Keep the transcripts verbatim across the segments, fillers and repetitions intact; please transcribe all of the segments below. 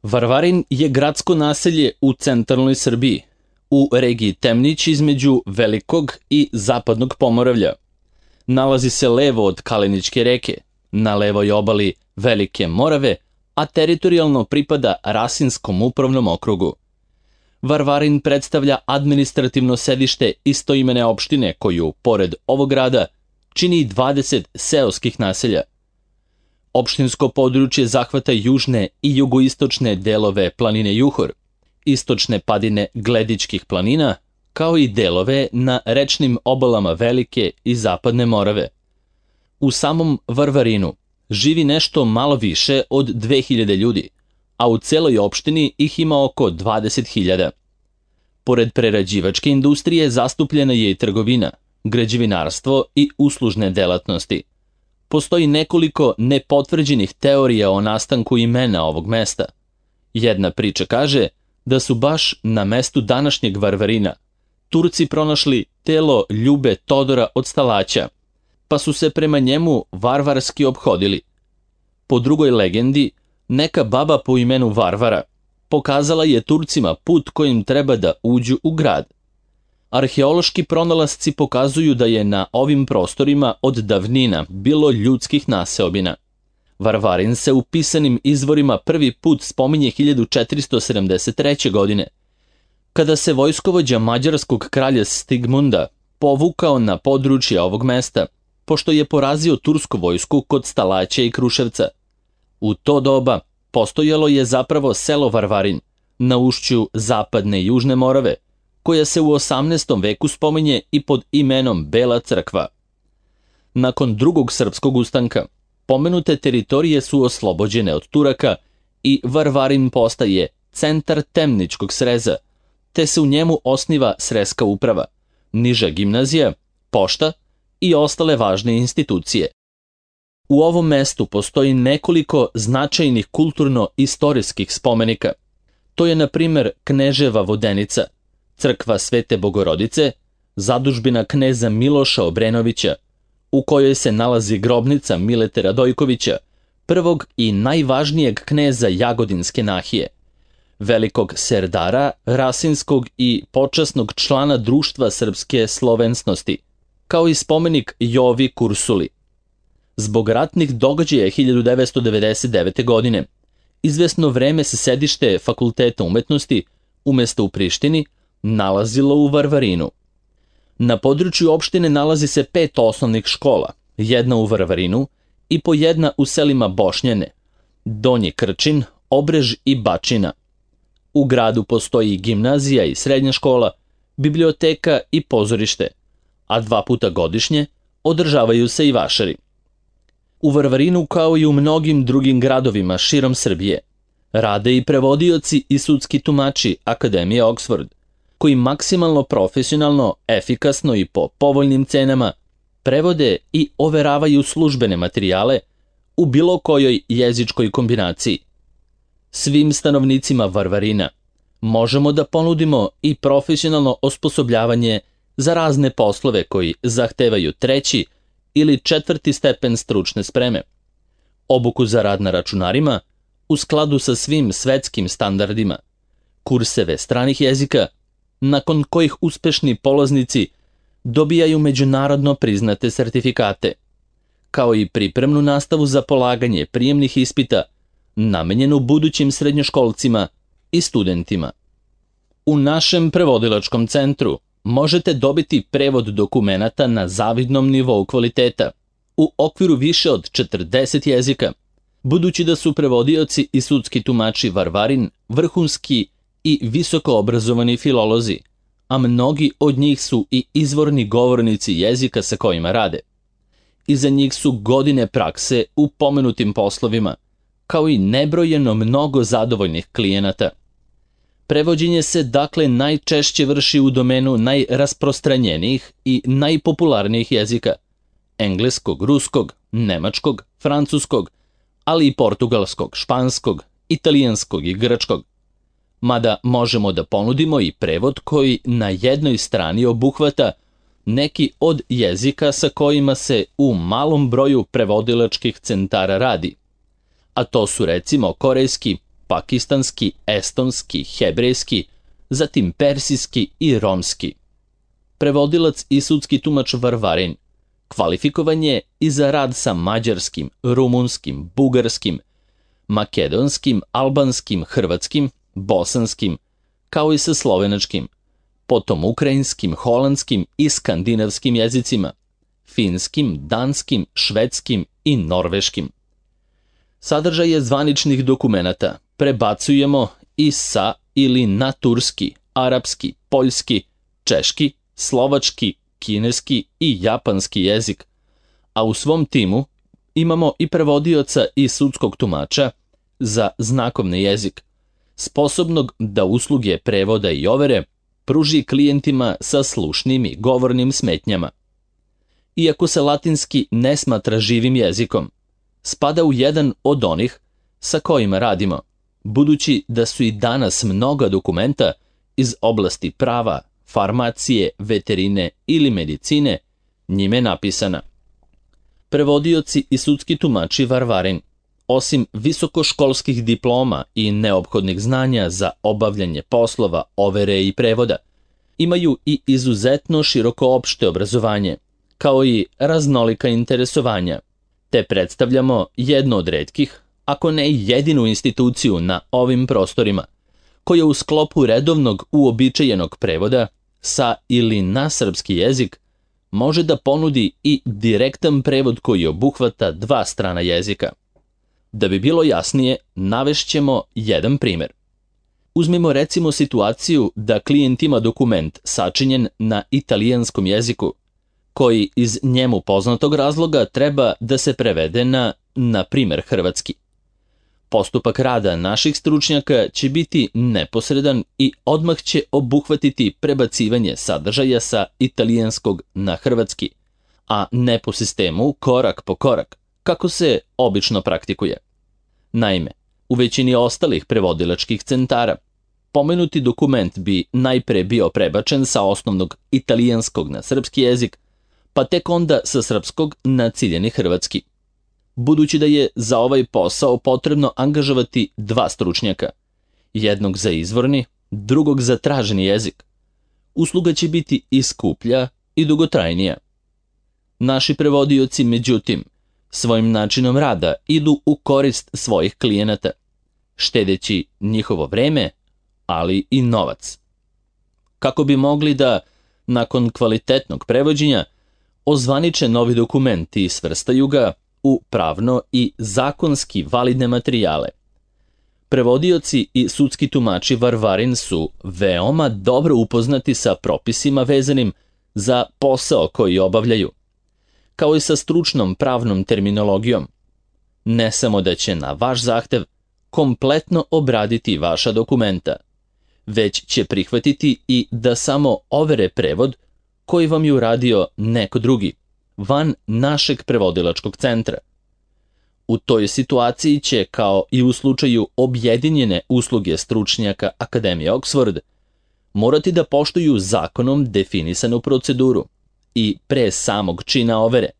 Varvarin je gradsko naselje u centralnoj Srbiji, u regiji Temnić između Velikog i Zapadnog Pomoravlja. Nalazi se levo od Kaleničke reke, na levoj obali Velike Morave, a teritorijalno pripada Rasinskom upravnom okrugu. Varvarin predstavlja administrativno sedište istoimene opštine koju, pored ovog grada, čini dvadeset seoskih naselja. Opštinsko područje zahvata južne i jugoistočne delove planine Juhor, istočne padine Gledičkih planina, kao i delove na rečnim obalama Velike i Zapadne Morave. U samom Varvarinu živi nešto malo više od dve hiljade ljudi, a u celoj opštini ih ima oko dvadeset hiljada. Pored prerađivačke industrije zastupljena je i trgovina, građevinarstvo i uslužne delatnosti. Postoji nekoliko nepotvrđenih teorija o nastanku imena ovog mesta. Jedna priča kaže da su baš na mestu današnjeg Varvarina Turci pronašli telo Ljube Todora od Stalaća, pa su se prema njemu varvarski ophodili. Po drugoj legendi, neka baba po imenu Varvara pokazala je Turcima put kojim treba da uđu u grad. Arheološki pronalasci pokazuju da je na ovim prostorima od davnina bilo ljudskih naseobina. Varvarin se u pisanim izvorima prvi put spominje hiljadu četiristo sedamdeset treće. godine, kada se vojskovođa mađarskog kralja Stigmunda povukao na područje ovog mesta, pošto je porazio tursku vojsku kod Stalaća i Kruševca. U to doba postojalo je zapravo selo Varvarin na ušću Zapadne i Južne Morave, koja se u osamnaestom veku spominje i pod imenom Bela crkva. Nakon drugog srpskog ustanka, pomenute teritorije su oslobođene od Turaka i Varvarin postaje centar Temničkog sreza, te se u njemu osniva srezska uprava, niža gimnazija, pošta i ostale važne institucije. U ovom mestu postoji nekoliko značajnih kulturno-istorijskih spomenika. To je, na primer, Kneževa vodenica, crkva Svete Bogorodice, zadužbina kneza Miloša Obrenovića, u kojoj se nalazi grobnica Milete Radojkovića, prvog i najvažnijeg kneza Jagodinske nahije, velikog serdara, rasinskog i počasnog člana Društva srpske slovensnosti, kao i spomenik Jovi Kursuli. Zbog ratnih događaja hiljadu devetsto devedeset devete. godine, izvesno vreme se sedište Fakulteta umetnosti, umesto u Prištini, nalazilo u Varvarinu. Na području opštine nalazi se pet osnovnih škola, jedna u Varvarinu i po jedna u selima Bošnjane, Donji Krčin, Obrež i Bačina. U gradu postoji gimnazija i srednja škola, biblioteka i pozorište, a dva puta godišnje održavaju se i vašari. U Varvarinu, kao i u mnogim drugim gradovima širom Srbije, rade i prevodioci i sudski tumači Akademije Oxford, koji maksimalno profesionalno, efikasno i po povoljnim cenama prevode i overavaju službene materijale u bilo kojoj jezičkoj kombinaciji. Svim stanovnicima Varvarina možemo da ponudimo i profesionalno osposobljavanje za razne poslove koji zahtevaju treći ili četvrti stepen stručne spreme, obuku za rad na računarima u skladu sa svim svetskim standardima, kurseve stranih jezika, nakon kojih uspešni polaznici dobijaju međunarodno priznate sertifikate, kao i pripremnu nastavu za polaganje prijemnih ispita namenjenu budućim srednjoškolcima i studentima. U našem prevodilačkom centru možete dobiti prevod dokumenata na zavidnom nivou kvaliteta u okviru više od četrdeset jezika, budući da su prevodioci i sudski tumači Varvarin vrhunski i visoko obrazovani filolozi, a mnogi od njih su i izvorni govornici jezika sa kojima rade. Iza njih su godine prakse u pomenutim poslovima, kao i nebrojeno mnogo zadovoljnih klijenata. Prevođenje se dakle najčešće vrši u domenu najrasprostranjenijih i najpopularnijih jezika: engleskog, ruskog, nemačkog, francuskog, ali i portugalskog, španskog, italijanskog i grčkog. Mada možemo da ponudimo i prevod koji na jednoj strani obuhvata neki od jezika sa kojima se u malom broju prevodilačkih centara radi, a to su recimo korejski, pakistanski, estonski, hebrejski, zatim persijski i romski. Prevodilac i sudski tumač Varvarin kvalifikovan je i za rad sa mađarskim, rumunskim, bugarskim, makedonskim, albanskim, hrvatskim, bosanskim, kao i sa slovenačkim, potom ukrajinskim, holandskim i skandinavskim jezicima, finskim, danskim, švedskim i norveškim. Sadržaje zvaničnih dokumenata prebacujemo i sa ili na turski, arapski, poljski, češki, slovački, kineski i japanski jezik, a u svom timu imamo i prevodioca i sudskog tumača za znakovni jezik, sposobnog da usluge prevoda i overe pruži klijentima sa slušnim i govornim smetnjama. Iako se latinski ne smatra živim jezikom, spada u jedan od onih sa kojima radimo, budući da su i danas mnoga dokumenta iz oblasti prava, farmacije, veterine ili medicine njime napisana. Prevodioci i sudski tumači Varvarin, osim visokoškolskih diploma i neophodnih znanja za obavljanje poslova, overe i prevoda, imaju i izuzetno široko opšte obrazovanje, kao i raznolika interesovanja, te predstavljamo jednu od retkih, ako ne jedinu instituciju na ovim prostorima, koja u sklopu redovnog uobičajenog prevoda sa ili na srpski jezik može da ponudi i direktan prevod koji obuhvata dva strana jezika. Da bi bilo jasnije, navešćemo jedan primer. Uzmimo recimo situaciju da klijent ima dokument sačinjen na italijanskom jeziku, koji iz njemu poznatog razloga treba da se prevede na, na primer, hrvatski. Postupak rada naših stručnjaka će biti neposredan i odmah će obuhvatiti prebacivanje sadržaja sa italijanskog na hrvatski, a ne po sistemu korak po korak, kako se obično praktikuje. Naime, u većini ostalih prevodilačkih centara, pomenuti dokument bi najpre bio prebačen sa osnovnog italijanskog na srpski jezik, pa tek onda sa srpskog na ciljeni hrvatski. Budući da je za ovaj posao potrebno angažovati dva stručnjaka, jednog za izvorni, drugog za traženi jezik, usluga će biti i skuplja i dugotrajnija. Naši prevodioci, međutim, svojim načinom rada idu u korist svojih klijenata, štedeći njihovo vreme, ali i novac. Kako bi mogli da, nakon kvalitetnog prevođenja, ozvaniče novi dokument i svrstaju ga u pravno i zakonski validne materijale. Prevodioci i sudski tumači Varvarin su veoma dobro upoznati sa propisima vezanim za posao koji obavljaju, kao i sa stručnom pravnom terminologijom. Ne samo da će na vaš zahtev kompletno obraditi vaša dokumenta, već će prihvatiti i da samo overe prevod koji vam je uradio neko drugi, van našeg prevodilačkog centra. U toj situaciji će, kao i u slučaju objedinjene usluge stručnjaka Akademije Oxford, morati da poštuju zakonom definisanu proceduru i pre samog čina overe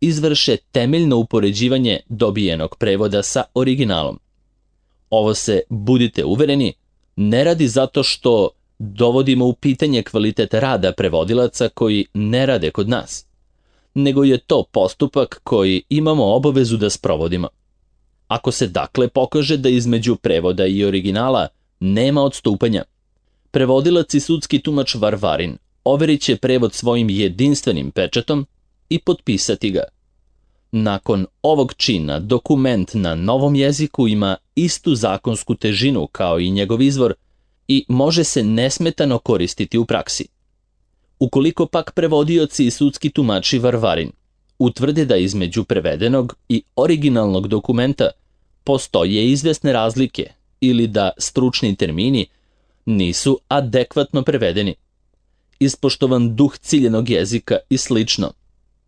izvrše temeljno upoređivanje dobijenog prevoda sa originalom. Ovo se, budite uvereni, ne radi zato što dovodimo u pitanje kvalitet rada prevodilaca koji ne rade kod nas, nego je to postupak koji imamo obavezu da sprovodimo. Ako se dakle pokaže da između prevoda i originala nema odstupanja, prevodilac i sudski tumač Varvarin overit će prevod svojim jedinstvenim pečatom i potpisati ga. Nakon ovog čina dokument na novom jeziku ima istu zakonsku težinu kao i njegov izvor i može se nesmetano koristiti u praksi. Ukoliko pak prevodioci i sudski tumači Varvarin utvrde da između prevedenog i originalnog dokumenta postoje izvesne razlike ili da stručni termini nisu adekvatno prevedeni, ispoštovan duh ciljenog jezika i slično,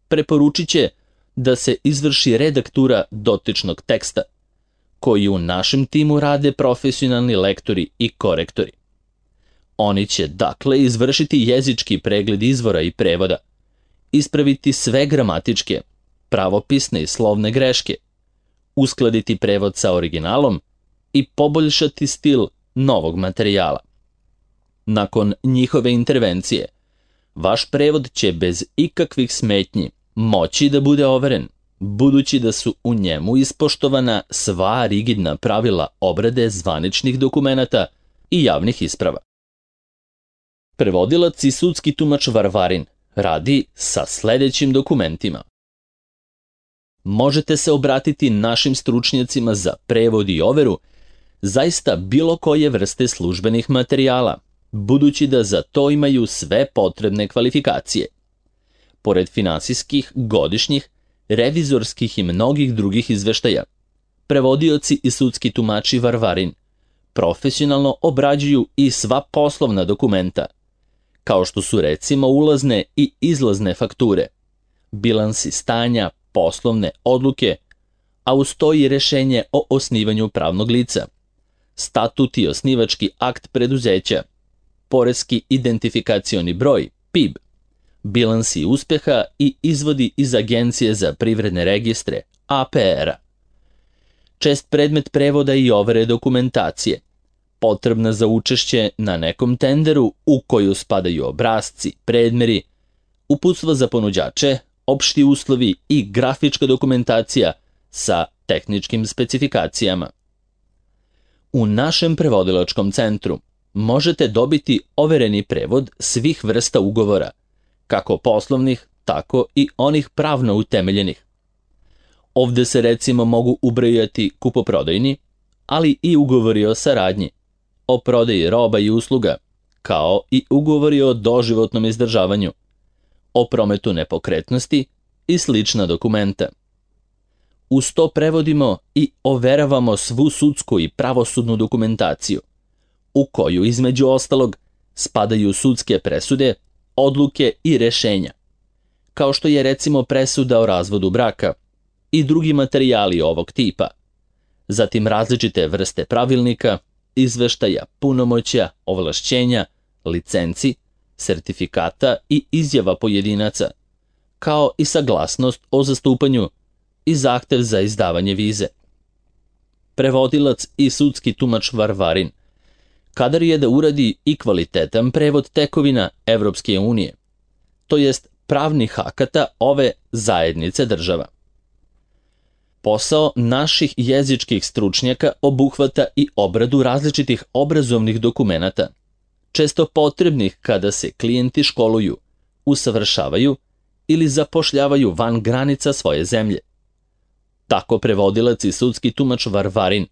preporučit će da se izvrši redaktura dotičnog teksta, koji u našem timu rade profesionalni lektori i korektori. Oni će dakle izvršiti jezički pregled izvora i prevoda, ispraviti sve gramatičke, pravopisne i slovne greške, uskladiti prevod sa originalom i poboljšati stil novog materijala. Nakon njihove intervencije, vaš prevod će bez ikakvih smetnji moći da bude overen, budući da su u njemu ispoštovana sva rigidna pravila obrade zvaničnih dokumenata i javnih isprava. Prevodilac i sudski tumač Varvarin radi sa sledećim dokumentima. Možete se obratiti našim stručnjacima za prevod i overu zaista bilo koje vrste službenih materijala, budući da za to imaju sve potrebne kvalifikacije. Pored finansijskih, godišnjih, revizorskih i mnogih drugih izveštaja, prevodioci i sudski tumači Varvarin profesionalno obrađuju i sva poslovna dokumenta, kao što su recimo ulazne i izlazne fakture, bilansi stanja, poslovne odluke, a uz to i rešenje o osnivanju pravnog lica, statut i osnivački akt preduzeća, poreski identifikacioni broj, P I B, bilansi uspeha i izvodi iz Agencije za privredne registre, A P R-a. Čest predmet prevoda i overe dokumentacije, potrebna za učešće na nekom tenderu u koju spadaju obrasci, predmeri, uputstva za ponuđače, opšti uslovi i grafička dokumentacija sa tehničkim specifikacijama. U našem prevodilačkom centru možete dobiti overeni prevod svih vrsta ugovora, kako poslovnih, tako i onih pravno utemeljenih. Ovde se recimo mogu ubrojati kupoprodajni, ali i ugovori o saradnji, o prodaji roba i usluga, kao i ugovori o doživotnom izdržavanju, o prometu nepokretnosti i slična dokumenta. Uz to prevodimo i overavamo svu sudsku i pravosudnu dokumentaciju, u koju između ostalog spadaju sudske presude, odluke i rešenja, kao što je recimo presuda o razvodu braka i drugi materijali ovog tipa, zatim različite vrste pravilnika, izveštaja, punomoćja, ovlašćenja, licenci, sertifikata i izjava pojedinaca, kao i saglasnost o zastupanju i zahtev za izdavanje vize. Prevodilac i sudski tumač Varvarin kadar je da uradi i kvalitetan prevod tekovina Evropske unije, to jest pravnih akata ove zajednice država. Posao naših jezičkih stručnjaka obuhvata i obradu različitih obrazovnih dokumenata, često potrebnih kada se klijenti školuju, usavršavaju ili zapošljavaju van granica svoje zemlje. Tako prevodilac i sudski tumač Varvarin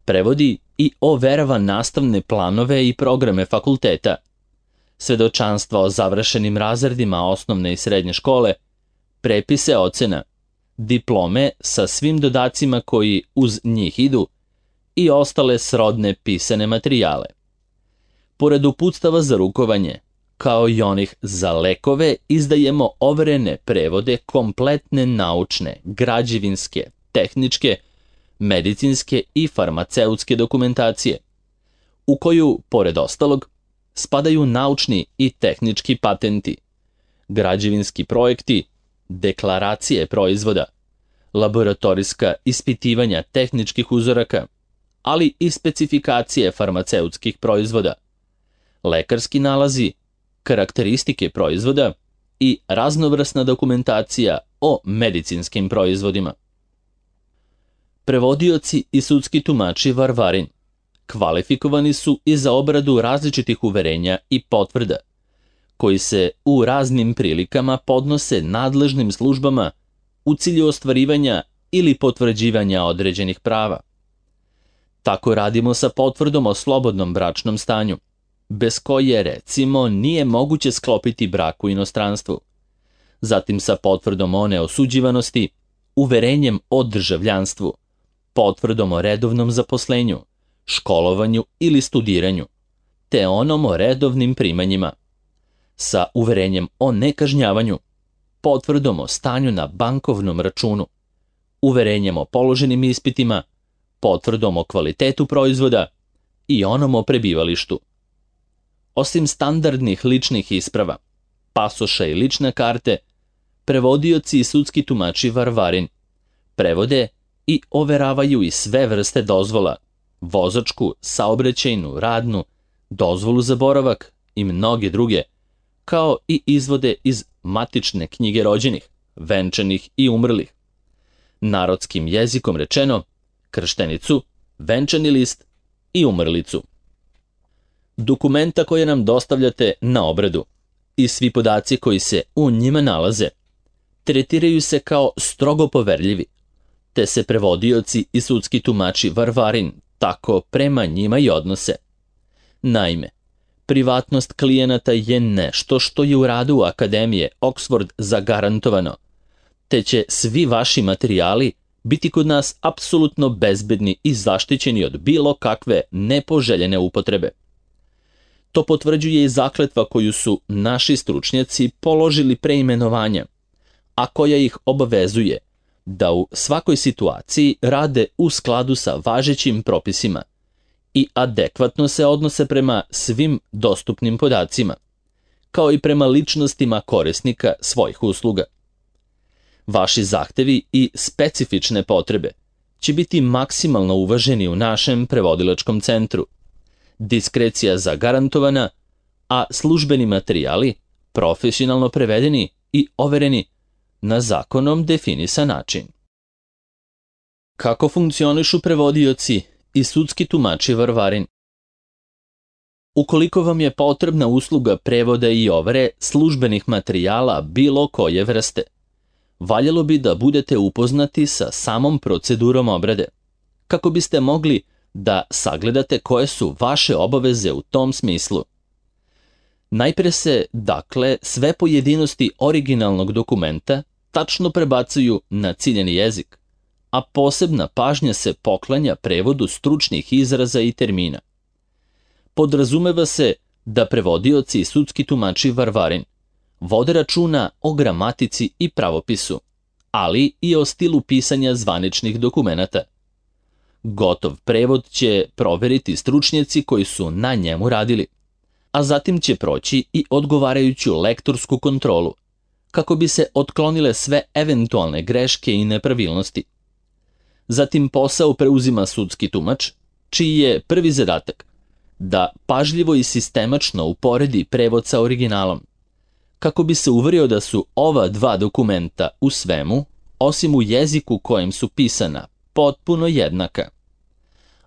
prevodi i overava nastavne planove i programe fakulteta, svedočanstva o završenim razredima osnovne i srednje škole, prepise ocena, diplome sa svim dodacima koji uz njih idu i ostale srodne pisane materijale. Pored uputstava za rukovanje, kao i onih za lekove, izdajemo overene prevode kompletne naučne, građevinske, tehničke, medicinske i farmaceutske dokumentacije, u koju, pored ostalog, spadaju naučni i tehnički patenti, građevinski projekti, deklaracije proizvoda, laboratorijska ispitivanja tehničkih uzoraka, ali i specifikacije farmaceutskih proizvoda, lekarski nalazi, karakteristike proizvoda i raznovrsna dokumentacija o medicinskim proizvodima. Prevodioci i sudski tumači Varvarin kvalifikovani su i za obradu različitih uverenja i potvrda, koji se u raznim prilikama podnose nadležnim službama u cilju ostvarivanja ili potvrđivanja određenih prava. Tako radimo sa potvrdom o slobodnom bračnom stanju, bez koje, recimo, nije moguće sklopiti brak u inostranstvu. Zatim sa potvrdom o neosuđivanosti, uverenjem o državljanstvu, potvrdom o redovnom zaposlenju, školovanju ili studiranju, te onom o redovnim primanjima, sa uverenjem o nekažnjavanju, potvrdom o stanju na bankovnom računu, uverenjem o položenim ispitima, potvrdom o kvalitetu proizvoda i onom o prebivalištu. Osim standardnih ličnih isprava, pasoša i lične karte, prevodioci i sudski tumači Varvarin prevode i overavaju i sve vrste dozvola, vozačku, saobraćajnu, radnu, dozvolu za boravak i mnoge druge, kao i izvode iz matične knjige rođenih, venčanih i umrlih. Narodskim jezikom rečeno, krštenicu, venčani list i umrlicu. Dokumenta koje nam dostavljate na obradu i svi podaci koji se u njima nalaze tretiraju se kao strogo poverljivi, te se prevodioci i sudski tumači Varvarin tako prema njima i odnose. Naime, privatnost klijenata je nešto što je u radu Akademije Oxford zagarantovano, te će svi vaši materijali biti kod nas apsolutno bezbedni i zaštićeni od bilo kakve nepoželjene upotrebe. To potvrđuje i zakletva koju su naši stručnjaci položili pre imenovanja, a koja ih obavezuje da u svakoj situaciji rade u skladu sa važećim propisima i adekvatno se odnose prema svim dostupnim podacima, kao i prema ličnostima korisnika svojih usluga. Vaši zahtevi i specifične potrebe će biti maksimalno uvaženi u našem prevodilačkom centru. Diskrecija zagarantovana, a službeni materijali profesionalno prevedeni i overeni na zakonom definisan način. Kako funkcionišu prevodioci i sudski tumači Varvarin? Ukoliko vam je potrebna usluga prevoda i overe službenih materijala bilo koje vrste, valjalo bi da budete upoznati sa samom procedurom obrade, kako biste mogli da sagledate koje su vaše obaveze u tom smislu. Najpre se, dakle, sve pojedinosti originalnog dokumenta tačno prebacuju na ciljeni jezik, a posebna pažnja se poklanja prevodu stručnih izraza i termina. Podrazumeva se da prevodioci i sudski tumači Varvarin vode računa o gramatici i pravopisu, ali i o stilu pisanja zvaničnih dokumenata. Gotov prevod će proveriti stručnjaci koji su na njemu radili, a zatim će proći i odgovarajuću lektorsku kontrolu, kako bi se otklonile sve eventualne greške i nepravilnosti. Zatim posao preuzima sudski tumač, čiji je prvi zadatak da pažljivo i sistemačno uporedi prevod sa originalom, kako bi se uverio da su ova dva dokumenta u svemu, osim u jeziku kojem su pisana, potpuno jednaka.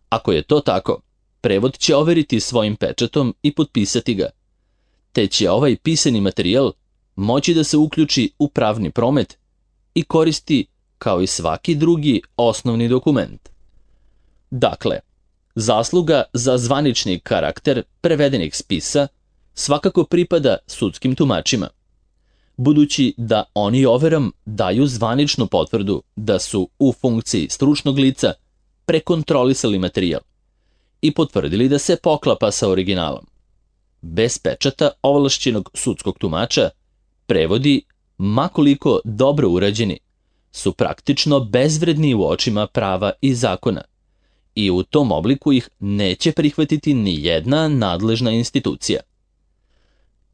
Ako je to tako, prevod će overiti svojim pečatom i potpisati ga, te će ovaj pisani materijal moći da se uključi u pravni promet i koristi kao i svaki drugi osnovni dokument. Dakle, zasluga za zvanični karakter prevedenih spisa svakako pripada sudskim tumačima, budući da oni overom daju zvaničnu potvrdu da su u funkciji stručnog lica prekontrolisali materijal i potvrdili da se poklapa sa originalom. Bez pečata ovlašćenog sudskog tumača, prevodi, makoliko dobro urađeni, su praktično bezvredni u očima prava i zakona i u tom obliku ih neće prihvatiti ni jedna nadležna institucija.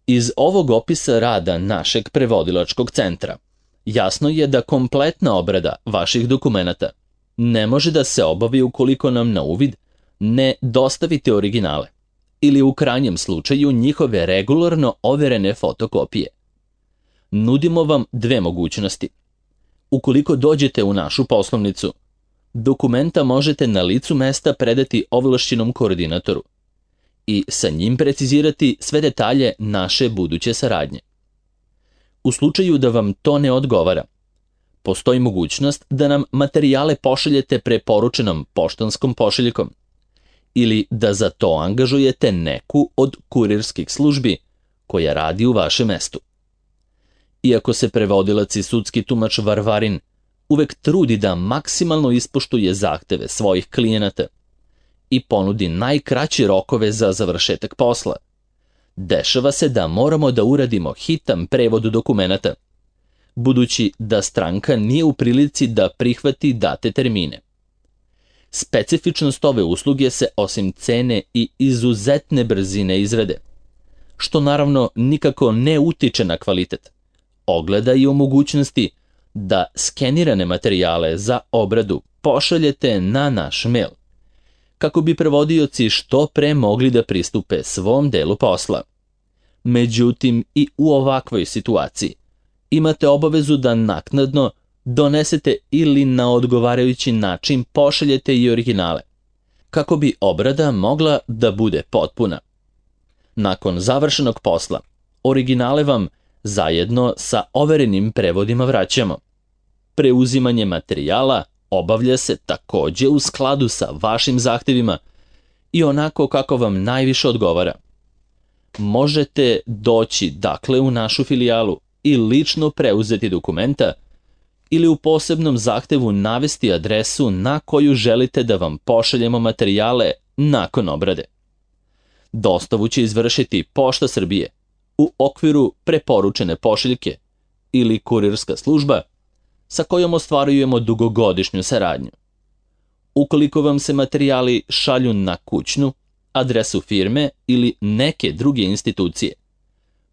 Iz ovog opisa rada našeg prevodilačkog centra jasno je da kompletna obrada vaših dokumenata ne može da se obavi ukoliko nam na uvid ne dostavite originale ili u krajnjem slučaju njihove regularno overene fotokopije. Nudimo vam dve mogućnosti. Ukoliko dođete u našu poslovnicu, dokumenta možete na licu mesta predati ovlašćenom koordinatoru i sa njim precizirati sve detalje naše buduće saradnje. U slučaju da vam to ne odgovara, postoji mogućnost da nam materijale pošaljete preporučenom poštanskom pošiljkom ili da za to angažujete neku od kurirskih službi koja radi u vašem mestu. Iako se prevodilac i sudski tumač Varvarin uvek trudi da maksimalno ispoštuje zahteve svojih klijenata i ponudi najkraće rokove za završetak posla, dešava se da moramo da uradimo hitan prevod dokumenata, budući da stranka nije u prilici da prihvati date termine. Specifičnost ove usluge se osim cene i izuzetne brzine izrade, što naravno nikako ne utiče na kvalitet, ogleda i o mogućnosti da skenirane materijale za obradu pošaljete na naš mail, kako bi prevodioci što pre mogli da pristupe svom delu posla. Međutim, i u ovakvoj situaciji imate obavezu da naknadno donesete ili na odgovarajući način pošaljete i originale, kako bi obrada mogla da bude potpuna. Nakon završenog posla, originale vam zajedno sa overenim prevodima vraćamo. Preuzimanje materijala obavlja se takođe u skladu sa vašim zahtevima i onako kako vam najviše odgovara. Možete doći dakle u našu filijalu i lično preuzeti dokumenta ili u posebnom zahtevu navesti adresu na koju želite da vam pošaljemo materijale nakon obrade. Dostavu će izvršiti Pošta Srbije u okviru preporučene pošiljke ili kurirska služba sa kojom ostvarujemo dugogodišnju saradnju. Ukoliko vam se materijali šalju na kućnu, adresu firme ili neke druge institucije,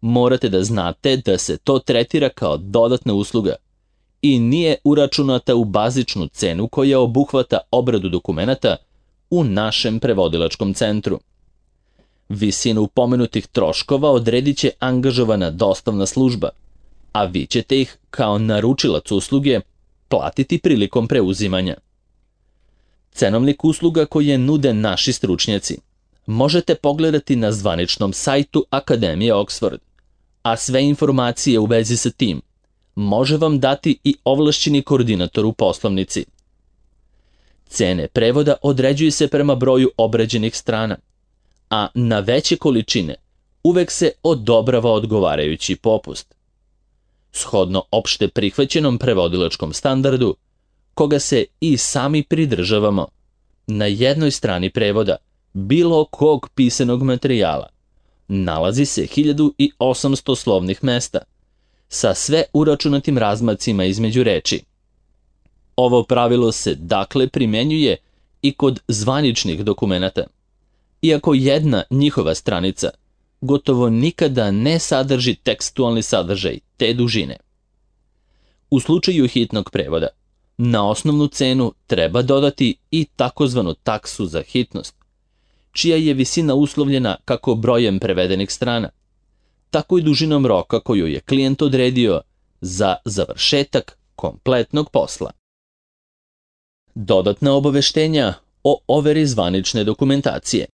morate da znate da se to tretira kao dodatna usluga i nije uračunata u bazičnu cenu koja obuhvata obradu dokumenata u našem prevodilačkom centru. Visinu pomenutih troškova odredit će angažovana dostavna služba, a vi ćete ih kao naručilac usluge platiti prilikom preuzimanja. Cenovnik usluga koje nude naši stručnjaci možete pogledati na zvaničnom sajtu Akademije Oxford, a sve informacije u vezi sa tim može vam dati i ovlašćeni koordinator u poslovnici. Cene prevoda određuju se prema broju obrađenih strana, a na veće količine uvek se odobrava odgovarajući popust. Shodno opšte prihvaćenom prevodilačkom standardu, koga se i sami pridržavamo, na jednoj strani prevoda bilo kog pisanog materijala nalazi se hiljadu osamsto slovnih mesta sa sve uračunatim razmacima između reči. Ovo pravilo se dakle primenjuje i kod zvaničnih dokumenata, iako jedna njihova stranica gotovo nikada ne sadrži tekstualni sadržaj te dužine. U slučaju hitnog prevoda, na osnovnu cenu treba dodati i takozvanu taksu za hitnost, čija je visina uslovljena kako brojem prevedenih strana, tako i dužinom roka koju je klijent odredio za završetak kompletnog posla. Dodatna obaveštenja o overi zvanične dokumentacije.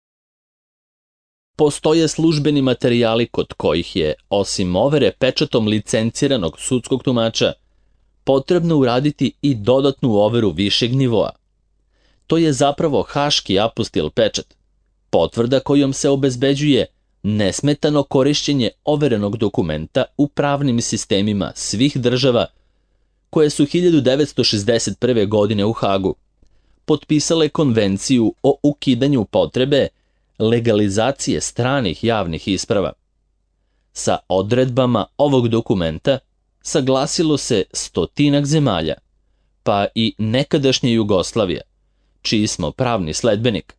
Postoje službeni materijali kod kojih je, osim overe pečatom licenciranog sudskog tumača, potrebno uraditi i dodatnu overu višeg nivoa. To je zapravo haški apostil pečat, potvrda kojom se obezbeđuje nesmetano korišćenje overenog dokumenta u pravnim sistemima svih država koje su hiljadu devetsto šezdeset prve. godine u Hagu potpisale konvenciju o ukidanju potrebe legalizacije stranih javnih isprava. Sa odredbama ovog dokumenta saglasilo se stotinak zemalja, pa i nekadašnja Jugoslavija, čiji smo pravni sledbenik,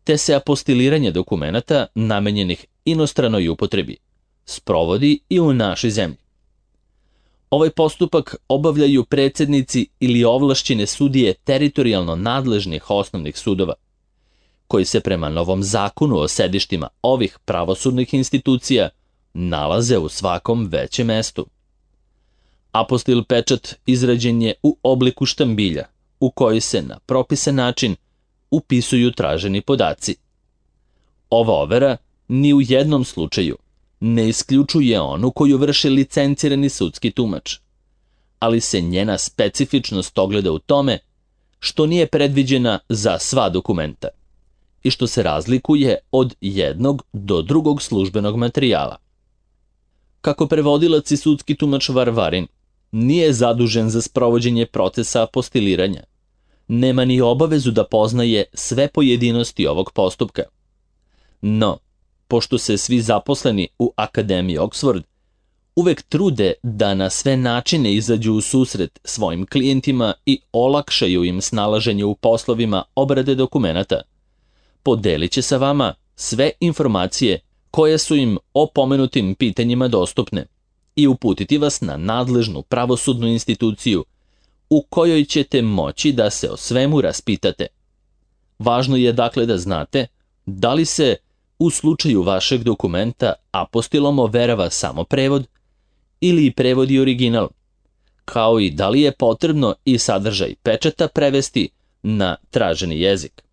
te se apostiliranje dokumenata namenjenih inostranoj upotrebi sprovodi i u našoj zemlji. Ovaj postupak obavljaju predsednici ili ovlašćene sudije teritorijalno nadležnih osnovnih sudova, koji se prema novom zakonu o sedištima ovih pravosudnih institucija nalaze u svakom većem mestu. Apostil pečat izrađen je u obliku štambilja, u koji se na propisan način upisuju traženi podaci. Ova overa ni u jednom slučaju ne isključuje onu koju vrši licencirani sudski tumač, ali se njena specifičnost ogleda u tome što nije predviđena za sva dokumenta i što se razlikuje od jednog do drugog službenog materijala. Kako prevodilac i sudski tumač Varvarin nije zadužen za sprovođenje procesa apostiliranja, nema ni obavezu da poznaje sve pojedinosti ovog postupka. No, pošto se svi zaposleni u Akademiji Oxford uvek trude da na sve načine izađu u susret svojim klijentima i olakšaju im snalaženje u poslovima obrade dokumenata, podelit će sa vama sve informacije koje su im o pomenutim pitanjima dostupne i uputiti vas na nadležnu pravosudnu instituciju u kojoj ćete moći da se o svemu raspitate. Važno je dakle da znate da li se u slučaju vašeg dokumenta apostilom overava samo prevod ili i prevod i original, kao i da li je potrebno i sadržaj pečata prevesti na traženi jezik.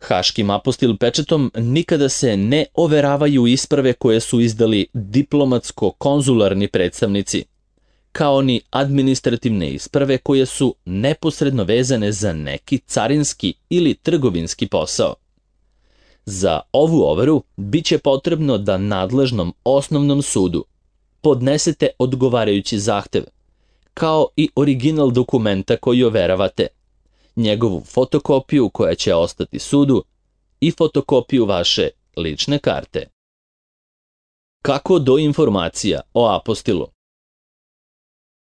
Haškim apostil pečatom nikada se ne overavaju isprave koje su izdali diplomatsko-konzularni predstavnici, kao ni administrativne isprave koje su neposredno vezane za neki carinski ili trgovinski posao. Za ovu overu bit će potrebno da nadležnom osnovnom sudu podnesete odgovarajući zahtev, kao i original dokumenta koji overavate, njegovu fotokopiju koja će ostati sudu i fotokopiju vaše lične karte. Kako do informacija o apostilu?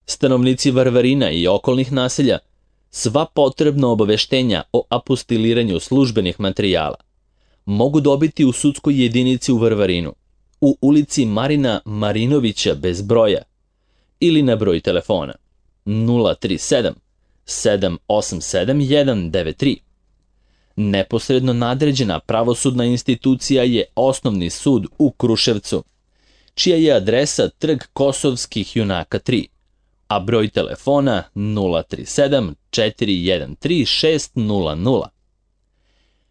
Stanovnici Varvarina i okolnih naselja sva potrebna obaveštenja o apostiliranju službenih materijala mogu dobiti u sudskoj jedinici u Varvarinu, u ulici Marina Marinovića bez broja ili na broj telefona nula tri sedam sedam osam sedam jedan devet tri. Neposredno nadređena pravosudna institucija je Osnovni sud u Kruševcu, čija je adresa Trg Kosovskih junaka tri, a broj telefona nula tri sedam četiri jedan tri šest nula nula.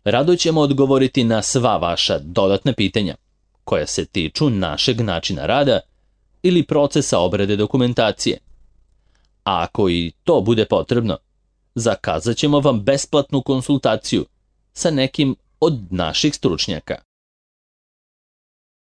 Rado ćemo odgovoriti na sva vaša dodatna pitanja, koja se tiču našeg načina rada ili procesa obrade dokumentacije. A ako i to bude potrebno, zakazat ćemo vam besplatnu konsultaciju sa nekim od naših stručnjaka.